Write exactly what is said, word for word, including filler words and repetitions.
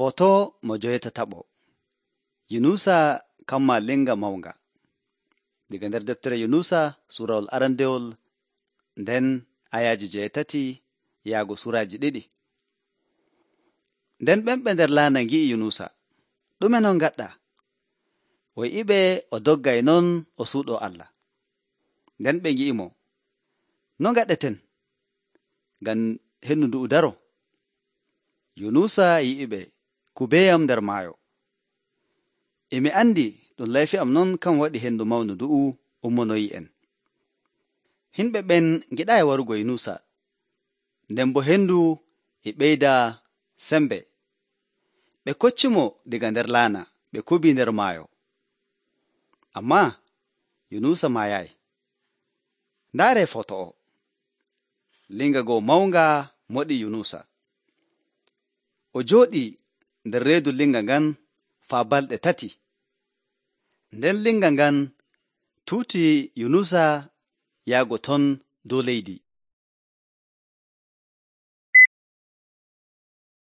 Foto mo joyetataɓo Yunusa kamma linga mawnga. Diga nder deftere Yunusa suurawol arandewol nden ayaaji joyetati yaago suuraaji ɗiɗi. Nden ɓemɓe nder laana ngi'i Yunusa, ɗume non ngaɗɗa? O yi'iɓe o doggay non o suuɗo Allah. Nden ɓe ngi'imo, no ngaɗeten? Ngam hendu ndu'u daro. Yunusa yi'iɓe, kubeyam nder maayo. E mi andi ɗum layfi am non kan waɗi hendu mawnu ndu'u ummonoyi en. Himɓe ɓen ngiɗaayi warugo Yunusa, nden bo hendu e ɓeyda sembe. Ɓe koccimo diga nder laana, ɓe kubii nder maayo. Ammaa Yunusa maayayi. Ndaaree foto o. Linga goo mawnga moɗi Yunusa. O jooɗii nder reedu linga ngan faa balɗe tati. Nden linga ngan tuuti Yunusa yaago ton dow leydi.